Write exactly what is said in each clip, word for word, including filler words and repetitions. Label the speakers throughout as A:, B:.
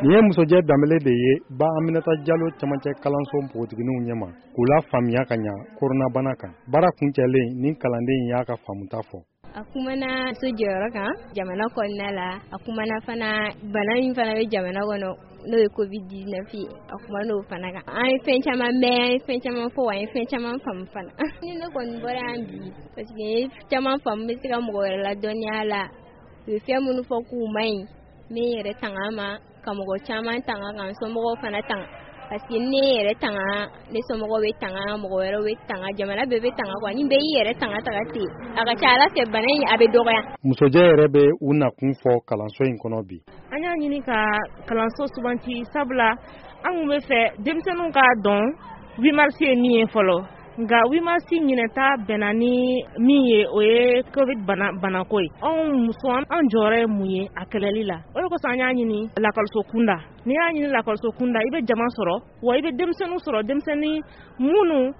A: Nin ye Musojɛ Danbele de ye ba Aminata Jalo camancɛ kalanso npogotigininw ɲɛma k'u la faamuya ka ɲa koronabana kan. Baara kuncɛlen, ni kalanden in y'a ka faamuta fɔ.
B: A kumana muso jɔyɔrɔ kan jamana kɔnɔna la, a kumana fana bana min fana bɛ jamana kɔnɔ, n'o ye covid dix-neuf ye, a kumana o fana kan. An ye fɛn caman mɛn, an ye fɛn caman fɔ, an ye fɛn caman faamu fana. Ni ne kɔni bɔra yan bi, parce que n ye caman faamu, n bɛ se ka mɔgɔ wɛrɛ ladɔnniya la. U ye fɛn minnu fɔ k'u man ɲi, n bɛ n yɛrɛ tanga a ma, ka mɔgɔ caman tanga, ka n somɔgɔw fana tanga, parce que ne yɛrɛ tanga, ne somɔgɔw bɛ tanga, mɔgɔ wɛrɛw bɛ tanga, jamana bɛɛ bɛ tanga quoi. Ni bɛɛ y'i yɛrɛ tanga taga ten, a ka ca Ala fɛ, bana in a bɛ dɔgɔya.
A: Musojɛ yɛrɛ bɛ u nakun fɔ kalanso in kɔnɔ bi.
C: An y'a ɲini ka kalanso suganti, sabula an kun bɛ fɛ denmisɛnninw k'a dɔn huit mars ye min ye fɔlɔ. Nka huit mars ɲinɛta bɛnna ni min ye, o ye covid bana banako ye. Anw muso, an jɔyɔrɔ ye mun ye a kɛlɛli la? O de kosɔn an y'a ɲini lakɔliso kunda. N'i y'a ɲini lakɔliso kunda, i bɛ jama sɔrɔ, wa i bɛ denmisɛnninw sɔrɔ, denmisɛnnin minnu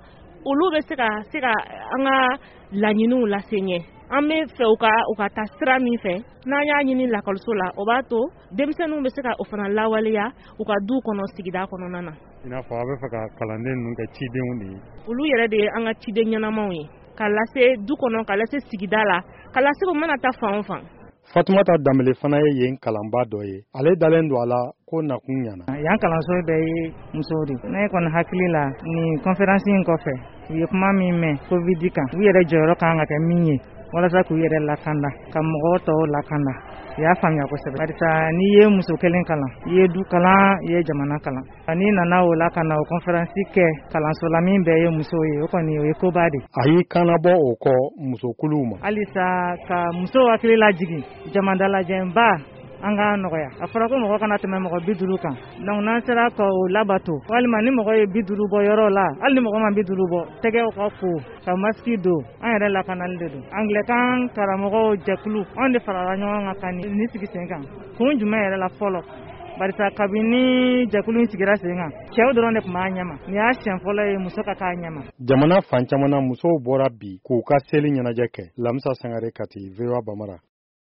C: olu bɛ se ka se ka an ka laɲiniw lase ɲɛ. An bɛ fɛ u ka u ka taa sira min fɛ, n'an y'a ɲini lakɔliso la, o b'a to denmisɛnninw bɛ se ka o fana lawaleya u ka du kɔnɔ, sigida kɔnɔna na.
A: I n'a fɔ a bɛ fɛ ka kalanden ninnu kɛ cidenw de ye.
C: Olu yɛrɛ de ye an ka ciden ɲɛnamaw ye, ka lase du kɔnɔ, ka lase sigida la, ka lase u mana taa fan o fan.
A: Fatumata Danbele fana ye yen kalanba dɔ ye. Ale dalen don a la ko nakun ɲana.
D: Yan kalanso bɛɛ ye musow de. Ne kɔni hakili la, nin conférence in kɔfɛ, u ye kuma min mɛn covid kan, u yɛrɛ jɔyɔrɔ kan ka kɛ min ye walasa k'u yɛrɛ lakanda, ka mɔgɔw tɔw lakanda, u y'a faamuya kosɛbɛ. Barisa n'i ye muso kelen kalan, i ye du kalan, i ye jamana kalan. N'i nana o la ka na o conférence kɛ kalanso la min bɛɛ ye musow ye, o kɔni o ye koba de.
A: A y'i kannabɔ o kɔ musokuluw ma.
D: Halisa ka musow hakili lajigin, jama dalajɛba an k'a nɔgɔya. A fɔra ko mɔgɔ kana tɛmɛ mɔgɔ bi duuru kan, donc n'an sera ka o labato, walima ni mɔgɔ ye bi duuru bɔ yɔrɔ la, hali ni mɔgɔ ma bi duuru bɔ, tɛgɛw ka ko, ka masque don, an yɛrɛ lakanali de don. Angilɛkan karamɔgɔw jɛkulu, anw de farala ɲɔgɔn kan ka nin sigi sen kan. Kun jumɛn yɛrɛ la fɔlɔ? Barisa kabini jɛkulu in sigira sen kan, cɛw dɔrɔn de tun b'a ɲɛma. Nin y'a siɲɛ fɔlɔ ye muso ka k'a ɲɛma.
A: Jamana fan caman na, musow bɔra bi k'u ka seli ɲɛnajɛ kɛ. Lamisa Sangare, Kati, V O A Bamara.